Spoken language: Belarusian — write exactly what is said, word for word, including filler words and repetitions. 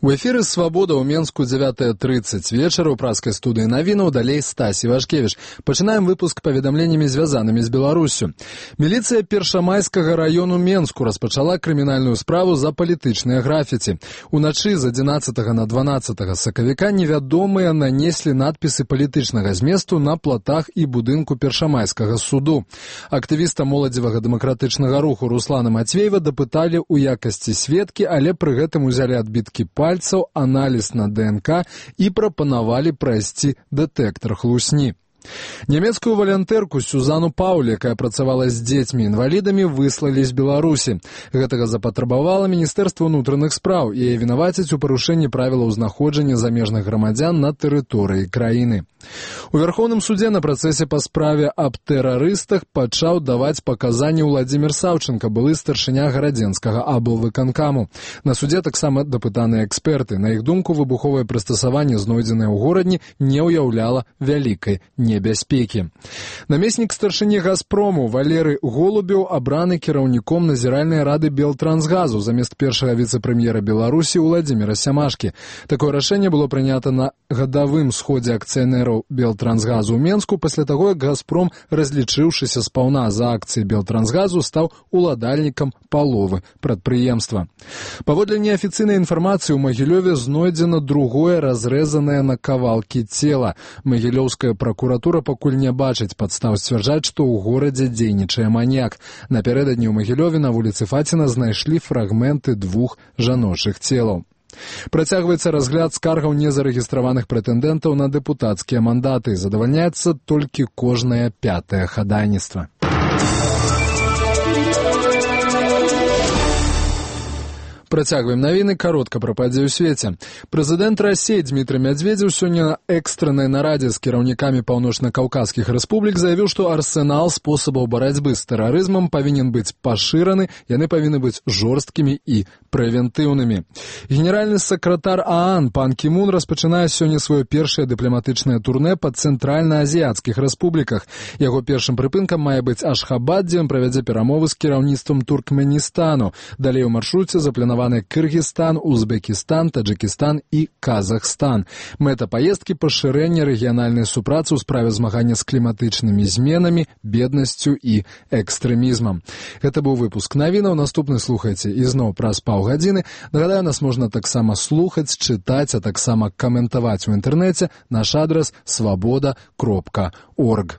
У эфіры «Свабода» ў Менску дзевятая трыццаць вечара ў праскай студыі навінаў, далей Стасі Вашкевіч. Пачынаем выпуск паведамленнямі, звязанымі з Беларуссю. Міліцыя Першамайскага раёну Менску распачала крымінальную справу за палітычныя графіці. Уначы з адзінаццатага на дванаццатага сакавіка невядомыя нанеслі надпісы палітычнага зместу на платах і будынку Першамайскага суду. Актывіста моладзевага дэмакратычнага руху Руслана Мацвеева дапыталі ў якасці сведкі, але пры гэтым узялі адбіткі пальцаў, аналіз на ДНК і прапанавалі прайсці дэтэктар хлусні. Нямецкую валантэрку Сюзану Пауль, якая працавала з дзецьмі-інвалідамі, выслалі з Беларусі. Гэтага запатрабавала Міністэрства ўнутраных спраў, і яе вінавацяць у парушэнні правілаў знаходжання замежных грамадзян на тэрыторыі краіны. У Вярхоўным судзе на працэсе па справе аб тэрарыстах пачаў даваць паказанні Владзімір Саўченка, былы старшыня гарадзенскага аблвыканкаму. На судзе таксама дапытаныя эксперты. На іх думку, выбуховае прыстасаванне, знойдзенае ў горадні, не ўяўляла вялікай небяспекі. Намеснік старшыні «Газпрому» Валерый Голубеў абраны кіраўніком назіральнай рады Белтрансгазу замест першага віцэ-прэм'ера Беларусі Владзіміра Сямашкі. Такое рашэнне было прынята на гадавым сходзе акцыянераў Белтрансгазу ў Менску пасля таго, як «Газпром», разлічыўшыся спаўна за акцыі Белтрансгазу, стаў уладальнікам паловы прадпрыемства. Паводле неафіцыйнай інфармацыі, у Магілёве знойдзена другое разрэзанае на кавалкі цела. Магілёўская пракуратура пакуль не бачыць падстаў сцвярджаць, што ў горадзе дзейнічае маньяк. Напярэдадні ў Магілёве на вуліцы Фаціна знайшлі фрагменты двух жаночых целаў. Працягваецца разгляд скаргаў незарэгістраваных прэтэндэнтаў на дэпутацкія мандаты. Задавальняецца толькі кожнае пятае хадайніцтва. Працягваем навіны, каротка пра падзеі ў свеце. Прэзідэнт Расіі Дмітрый Мядзведзеў сёння на экстраннай нарадзе з кіраўнікамі паўночна-каўказскіх рэспублік заявіў, што арсенал спосабаў барацьбы з тэрарызмам павінен быць пашыраны, яны павінны быць жорсткімі і прэвентыўнымі. Генеральны сакратар ААН пан Кі Мун распачынае сёння сваё першае дыпламатычнае турнэ па цэнтральна-азіяцкіх рэспубліках. Яго першым прыпынкам мае быць Ашхабад, дзе ён правядзе перамовы з кіраўніцтвам Туркменістану. Далей у маршруце запланаваны Кыргызстан, Узбекістан, Таджикістан і Казахстан. Мэта паездкі — пашырэнне рэгіянальнай супрацы ў справе змагання з кліматычнымі зменамі, беднасцю і экстрэмізмам. Гэта быў выпуск навінаў. Наступны слухайце ізноў праз паўгадзіны. Нагадаю, нас можна таксама слухаць, чытаць, а таксама каментаваць у інтэрнэце. Наш адрас — свабода кропка орг.